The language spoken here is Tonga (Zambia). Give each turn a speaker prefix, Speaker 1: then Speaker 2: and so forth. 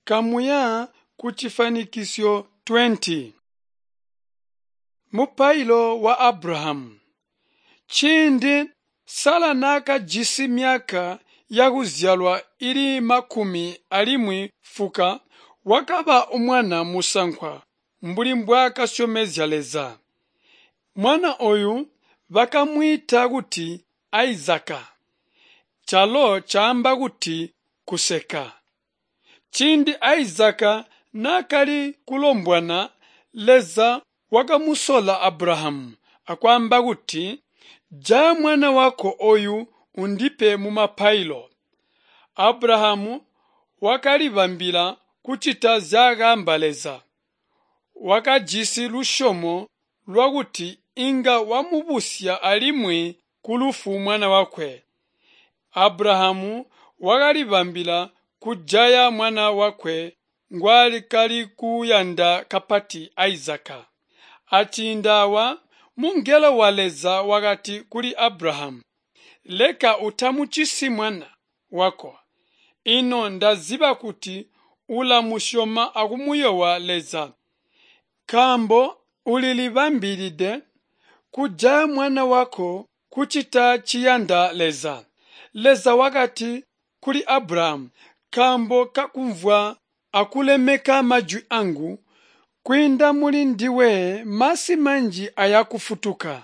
Speaker 1: Kamuya ku cifanikisyo 20. Mupailo wa Abrahamu. Ciindi Sala naakajisi myaka yakuzyalwa ili makumi alimwi fuka, wakaba amwana musankwa mbuli mbwaakasyomezya Leza. Mwana ooyu bakamwiita kuti Izaka, calo caamba kuti kuseka. Ciindi Izaka naakali kulombwana, Leza wakamusola Abrahamu akwaamba kuti, Jaya mwana wako ooyu undipe mumapailo. Abrahamu wakalibambila kucita nzyaakaamba Leza. Wakajisi lusyomo lwakuti inga wamubusya alimwi kulufu mwana wakwe. Abrahamu wakalibambila kujaya mwana wakwe ngwaakali kuyanda kapati Izaka. Aciindi aawa, mungelo wa Leza wakati kuli Abrahamu, Leka utamucisi mwana wako. Ino ndaziba kuti ulamusyoma akumuyoowa Leza, nkaambo ulilibambilide kujaya mwana wako kucita ciyanda Leza. Leza wakati kuli Abrahamu, Nkaambo kakumvwa akulemeka majwi angu, kwiinda muli ndiwe masi manji ayakufutuka.